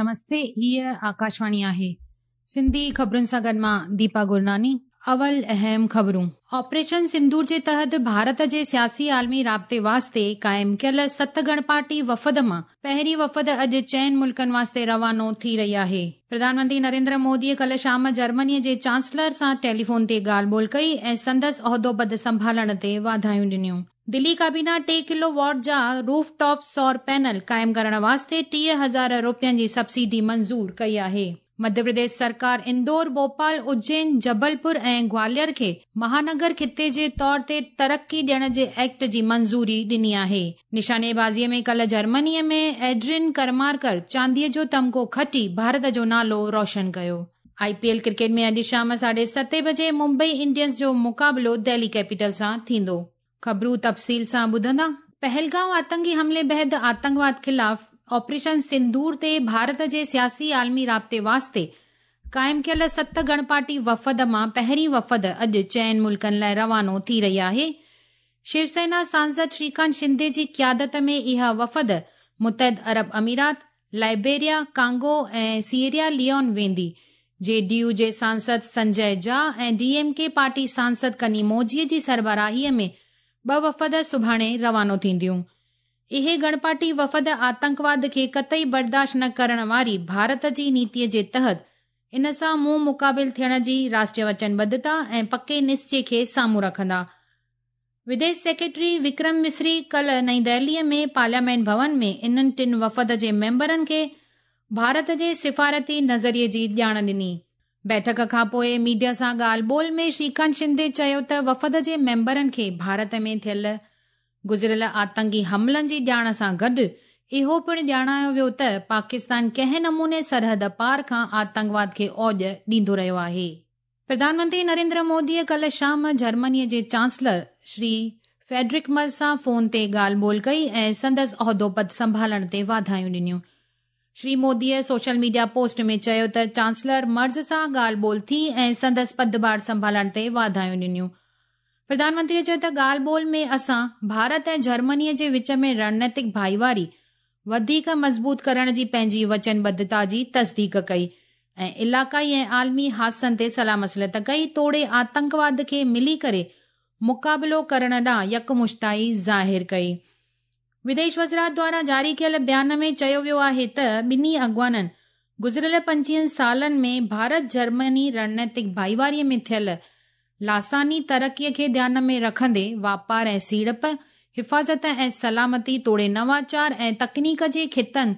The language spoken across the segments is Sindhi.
نمستي هيء آڪاشواڻي آهي. سنڌي خبرن سان گڏ مان ديپا گرناني. اول اهم خبرون. آپريشن سندور جي تحت ڀارت جي سياسي عالمي رابطي واسطي قائم ڪيل ست گڻ پارٽي وفد مان پهرين وفد اڄ چئن ملڪن واسطي روانو ٿي رهي آهي. پرڌان منتري نريندر موديء ڪلهه شام جرمنيء جي چانسلر سان ٽيليفون تي ڳالهه ٻولهه ڪئي ۽ سندس عهدو پد سنڀالڻ تي واڌايون ڏنيون. دلي ڪابينا ٽي ڪلو واٽ جا روف ٽاپ سور پينل قائم ڪرڻ واسطي 30,000 روپين جي سبسڊي منظور ڪئي آهي. مڌيه پرديش سرڪار اندور، ڀوپال، اجين، جبلپور ۽ گواليار کي مهانگر خطي جي طور تي ترقي ڏيڻ جي ايڪٽ جي منظوري ڏني آهي. نشاني بازيء ۾ ڪلهه جرمنيء ۾ ايڊرين ڪرمارڪر چانديء جو تمغو کٽي ڀارت جو نالو روشن ڪيو. آء پي ايل ڪرڪيٽ ۾ اڄ شام ساڍي ستين بجي ممبئي انڊينز جو مقابلو دهلي ڪيپيٽل سان ٿيندو. خبرون تفصيل سان ٻڌندا. پهلگائون آتنڪي حملي بعد آتنڪواد خلاف آپريشن سندور تي ڀارت جي سياسي عالمي رابطي واسطي قائم ڪيل ست گڻ پارٽي وفد مان پهرين وفد اڄ چئن ملڪن لاء روانو ٿي رهي آهي. شيو سينا سانسد شريڪانت شندي جي قيادت ۾ اها وفد متحد عرب امارات، لائبيريا، ڪانگو ۽ سيئريا ليون ويندي. جي ڊي يو جي Sansad Sanjay Jha ۽ D M K party Sansad ڪني موجي جي سربراهي ۾ ٻه وفد سڀاڻي روانو ٿينديون. اهي گڻپارٽي وفد آتنڪواد کي قطعي برداشت نه ڪرڻ واري ڀارت جي نيتي جي تحت ان سان منهن مقابل ٿيڻ جي راشٽريه وچنبڌتا ۽ پڪي نسچي کي سامهون رکندا. وديش سيڪريٽري وڪرم مصري ڪلهه نئين دهليء ۾ پارليامينٽ ڀون ۾ انهن ٽن وفد جي ميمبرن کي ڀارت جي سفارتي نظريي جي ڄاڻ ڏني. بيٺڪ کانپوء ميڊيا سان ڳالهه ٻولهه ۾ شريڪانت شندي چيو ته وفد جي ميمبرن کي ڀارت ۾ ٿيل گذريل آتنڪي حملن جي ڄاڻ سان گڏ اهو پڻ ڄاڻايو ويو ته پاڪستان ڪنهن نموني سرحد پار کان آتنڪواد کي اوڄ ڏيندو رهيو آهي. پرڌان منتري نريندر موديء ڪلهه شام جرمنيء جي چانسلر شري فيڊرڪ مرز سان فون تي ڳالهه ٻولهه ڪئي ۽ سندس عهدو پد سنڀالڻ تي واڌايون ڏنيون. شري موديء سوشل ميڊيا پوسٽ ۾ چيو ته چانسلر مرز سان ڳالهه ٻولهه ٿي ۽ سندس پدڀار سنڀالڻ تي واڌايون ڏنيون. پرڌان منتريء چيو ته ڳالهه ٻولهه ۾ اسان ڀارت ۽ جرمنيء جي وچ ۾ رڻنيتڪ ڀائيواري وڌيڪ مضبوط ڪرڻ جي پنهنجي وچنبڌتا جي تصديق ڪئي ۽ علاقائي ۽ عالمي حادثن تي صلاح مصلحت ڪئي توڙي آتنڪواد کي ملي ڪري مقابلو ڪرڻ ڏانهن يڪمشتائي ظاهر ڪئي. وديش وزارت دواران جاري ڪيل بيان ۾ چيو ويو آهي ته ٻنهي اڳواڻن گذريل پنجويهن سالن ۾ ڀارت جرمني رڻنيتڪ ڀائيواري ۾ ٿيل لاثاني ترقيء کي ڌيان ۾ رکندي واپار ۽ سيڙپ، حفاظت ۽ سلامتي توڙي نواچار ۽ تڪنيڪ جي خطن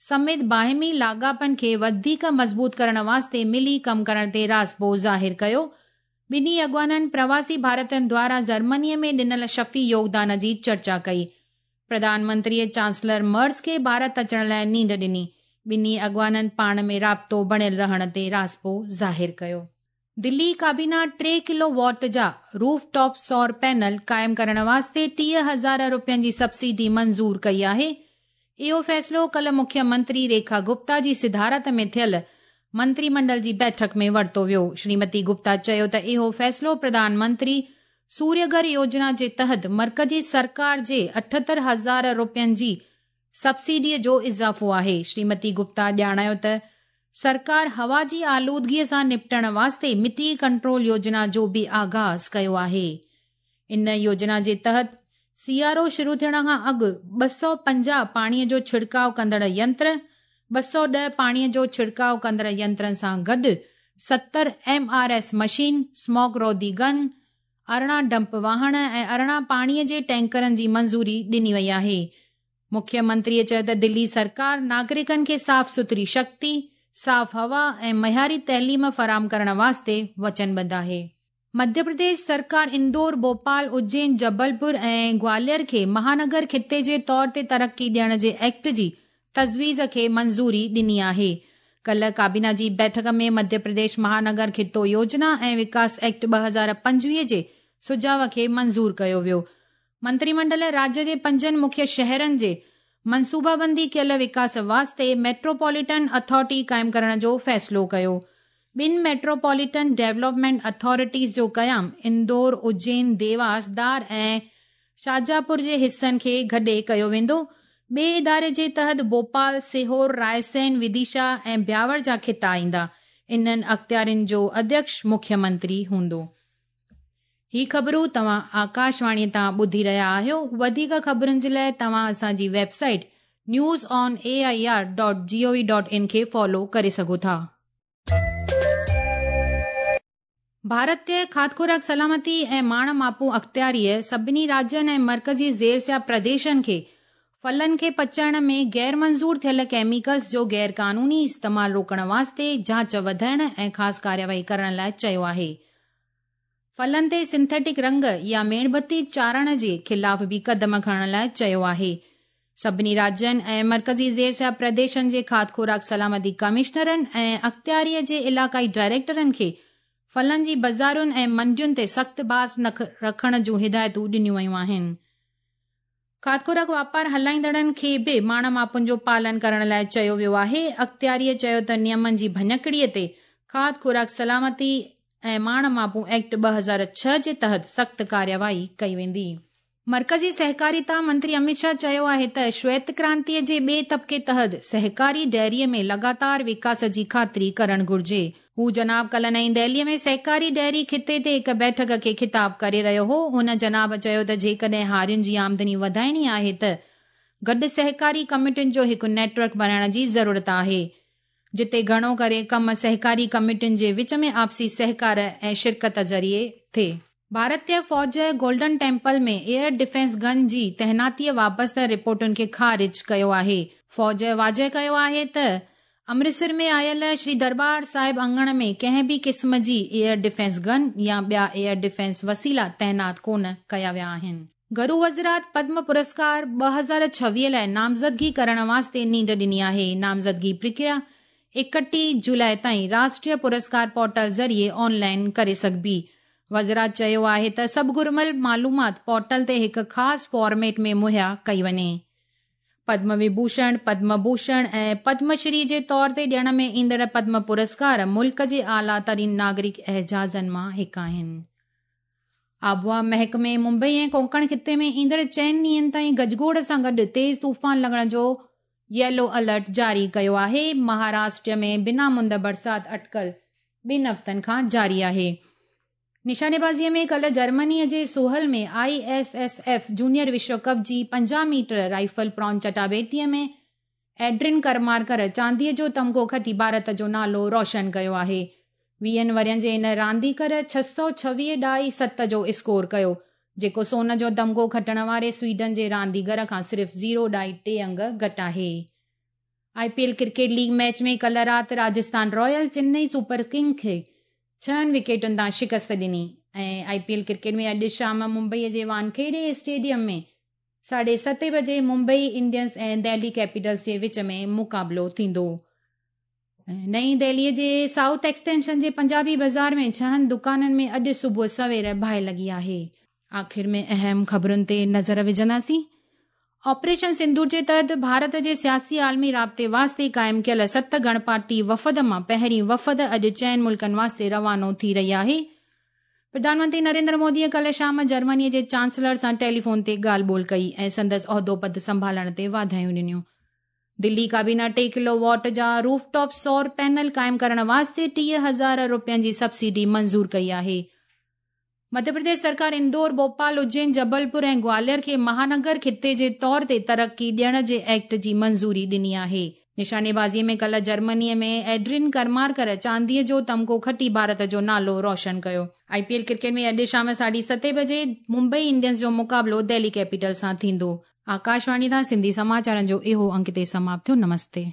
سميت باهمي لاڳاپن کي وڌيڪ مضبوط ڪرڻ واسطي ملي ڪم ڪرڻ تي راضپو ظاهر ڪيو. ٻنهي اڳواڻن پرواسي ڀارتين دواران جرمنيء ۾ ڏنل شفي يوگدان جي چرچا ڪئي. پرڌان منتريء چانسلر مرز کي ڀارت اچڻ لاء نينڍ ڏني. ٻنهي اڳواڻن پاڻ ۾ رابطو بڻيل رهڻ تي راضپو ظاهر ڪيو. دلي ڪابينا ٽي ڪلو واٽ جا روف ٽاپ سور پينل قائم ڪرڻ واسطي 30,000 روپين جي سبسڊي منظور ڪئي آهي. اهو فيصلو ڪلهه مکيه منتري ريکا گپتا جي صدارت ۾ ٿيل منتري منڊل جي بيٺڪ ۾ ورتو ويو. شريمتي گپتا چيو ته اهو فيصلو پرڌان منتري سوريه گهر يوجنا جي تحت مرڪزي سرڪار جي 78 هزار روپين جي سبسڊيء جو اضافو آهي. شريمتي گپتا ڄاڻايو ته سرڪار هوا جي آلودگيء سان نپٽڻ واسطي مٽي ڪنٽرول يوجنا جو به آغاز ڪيو آهي. ان يوجنا جي تحت سيارو شروع ٿيڻ کان اڳ 250 پاڻيء جو ڇڙڪاء ڪندڙ ينتر، 210 پاڻيء جو ڇڙڪاء ڪندڙ ينترن سان گڏ 70 M R S machine, smog روڌي گن، 18 ڊمپ واهڻ ۽ 18 پاڻيء جي ٽينڪرن جي منظوري ڏني وئي آهي. مکيه منتريء چيو ته دلي سرڪار ناگرڪن کي صاف سٿري شڪتي، صاف هوا ۽ معياري تعليم فراهم ڪرڻ واسطي وچنبڌ آهي. مڌيه پرديش سرڪار اندور، ڀوپال، اجين، جبلپور ۽ گواليار کي مهانگر خطي جي طور تي ترقي ڏيڻ جي ايڪٽ جي تجويز کي منظوري ڏني آهي. ڪلهه ڪابينا جي بيٺڪ ۾ مڌيه پرديش مهانگر خطو يوجنا ۽ وڪاس ايڪٽ 2025 جي سجهاء کي منظور ڪيو ويو. منتري منڊل راجيه جي پنجن مکيه شهرن جي منصوبابندي ڪيل وڪاس واسطي ميٽروپوليٽن اٿارٽي قائم ڪرڻ جو فيصلو ڪيو. ٻن ميٽروپوليٽن ڊولپمينٽ اٿارٽيز جو قيام اندور، اجين، ديواس، دار ۽ شاجاپور جي حصن کي گڏي ڪيو ويندو. ٻئي اداري جي تحت ڀوپال، سيهور، رائسين، وديشا ۽ بياور جا خطا ايندا. انهن اختيارين جو اڌيڪش مکيه منتري هوندو. هي خبرون توهان آڪاشواڻي تان ٻڌي رهيا آهيو. وڌيڪ خبرن جي لاء توهان اسان جي website news on A I R dot G O V dot in کي فالو ڪري سگهو ٿا. ڀارتي کاڌ خوراڪ سلامتي ۽ ماڻ ماپون اختياريء سڀني راجين ۽ مرڪزي زير سيا پرديشن کي ڦلن کي پچائڻ ۾ غير منظور ٿيل ڪيميڪلز جو غير قانوني استعمال روڪڻ واسطي جاچ وڌائڻ ۽ خاص ڪارروائي ڪرڻ لاء چيو آهي. ڦلن تي سنٿيٽڪ رنگ يا ميڻ بتي چاڙهڻ جي خلاف به قدم کڻڻ لاء چيو آهي. سڀني راجين ۽ مرڪزي زير سيا پرديشن جي کاڌ خوراڪ سلامتي ڪمشنرن ۽ اختياريء جي علائقائي ڊائريڪٽرن کي ڦلن جي بازارن ۽ منڊين تي سخت باز رکڻ جون هدايتون ڏنيون ويون آهن. کاڌ خوراڪ واپار هلائيندڙن کي به ماڻ ماپن جو پالن ڪرڻ لاء چيو ويو آهي. اختياريء چيو ته نيمن جي ڀڃڪڙي تي کاڌ خوراڪ سلامتي ۽ ماڻ ماپون ايڪٽ 2006 جي تحت سخت ڪارروائي ڪئي ويندي. مرڪزي سهڪاريتا منتري اميت شاهه چيو آهي ته شويت ڪرانتيء جي ٻئي طبقي تحت سهڪاري ڊيريء ۾ لڳاتار وڪاس جي خاطري ڪرڻ گهرجي. هو جناب ڪلهه نئين دهليء ۾ سهڪاري ڊيري خطي تي هڪ بيٺڪ کي خطاب ڪري رهيو هو. هن جناب چيو ته جيڪڏهن هارين جي آمدني وڌائڻي آهي ته گڏ سهڪاري ڪميٽين جو هڪ نيٽ ورڪ بڻائڻ جي ضرورت آهي، جتي گهڻو ڪري ڪم سهڪاري ڪميٽين جي وچ ۾ آپسي سهڪار ۽ شرڪت ذريعي ٿئي. ڀارتي فوج Golden Temple ۾ air defence gun جي تعيناتيء وابسته رپورٽن کي خارج ڪيو آهي. فوج واضح ڪيو آهي ته امرتسر ۾ آيل شري درٻار صاحب اڱڻ ۾ ڪنهن به قسم جي ايئر ڊفينس گن يا ٻيا ايئر ڊفينس وسيلا تعينات ڪونه ڪيا ويا آهن. گرو وزرات پدم پرسڪار 2026 لاء نامزدگي ڪرڻ واسطي نينڍ ڏني آهي. نامزدگي پرڪريا 31 جولاء تائين راشٽريه پرسڪار پورٽل ذريعي آن لائن ڪري سگهبي. وزرات چيو آهي ته سڀ گهربل معلومات پورٽل تي هڪ خاص فارميٽ ۾ مهيا ڪئي وڃي. پدم وڀوشڻ، پدم ڀوشڻ ۽ پدم شري جي طور تي ڏيڻ ۾ ايندڙ پدم پرسڪار ملڪ جي اعليٰ ترين ناگرڪ اعزازن مان هڪ آهن. آبهوا محڪمي ممبئي ۽ ڪونڪڻ خطي ۾ ايندڙ چئن ڏينهن تائين گجگوڙ سان گڏ تيز طوفان لڳڻ جو ييلو الرٽ جاري ڪيو آهي. مهاراشٽر ۾ بنا مند برسات اٽڪل ٻن هفتن کان جاري آهي. نشانيبازيء ۾ ڪلهه جرمنيء جي سوهل ۾ I S S F junior وشو ڪپ جي 50 ميٽر رائفل پران چٽاڀيٽيء ۾ ايڊرين ڪرمارڪر چانديء جو تمغو کٽي ڀارت جو نالو روشن ڪيو آهي. ويهن ورهين جي هن رانديگر 626 ڏهائي ست جو اسڪور ڪيو، جيڪو سون جو تمغو کٽڻ واري سوئيڊن جي رانديگر کان صرف زيرو ڏهائي ٽي انگ گهٽ آهي. I P L cricket league match ۾ ڪلهه رات Rajasthan Royal Chennai super king کي ڇهن وڪيٽن تان شڪست ڏني ۽ آء پي ايل ڪرڪيٽ ۾ اڄ شام ممبئي جي وانکيڙي اسٽيڊيم ۾ ساڍي ستين بجي ممبئي انڊينز ۽ دهلي ڪيپيٽلز جي وچ ۾ مقابلو ٿيندو. نئين دهلي جي سائوٿ ايڪسٽينشن جي پنجابي بازار ۾ ڇهن دڪانن ۾ اڄ صبح سوير باهه لڳي آهي. آخر ۾ اهم خبرن تي نظر وجهنداسين. آپريشن سندور جي تحت ڀارت جي سياسي عالمي رابطي واسطي قائم ڪيل ست گڻ پارٽي وفد مان پهرين وفد اڄ چئن ملڪن واسطي روانو ٿي رهي آهي. پرڌان منتري نريندر موديء ڪلهه شام جرمني جي چانسلر سان ٽيليفون تي ڳالهه ٻولهه ڪئي ۽ سندس عهدو پد سنڀالڻ تي واڌايون ڏنيون. دلي ڪابينا ٽي ڪلو واٽ جا روف ٽاپ سور پينل قائم ڪرڻ واسطي 30,000 رپين جي سبسڊي منظور ڪئي آهي. مڌيه پرديش سرڪار اندور، ڀوپال، اجين، جبلپور ۽ گواليار کي مهانگر خطي جي طور تي ترقي ڏيڻ جي ايڪٽ جي منظوري ڏني آهي. نشانيبازي ۾ ڪلهه جرمني ۾ ايڊرين ڪرمارڪر چانديء جو تمغو کٽي ڀارت جو نالو روشن ڪيو. آء پي ايل ڪرڪيٽ ۾ اڄ شام ساڍي ستين بجي ممبئي انڊينز جو مقابلو دهلي ڪيپيٽلز سان ٿيندو. آڪاشواڻي تان سنڌي سماچارن جو اهو انڪ هتي سماپت ٿيو. نمستي.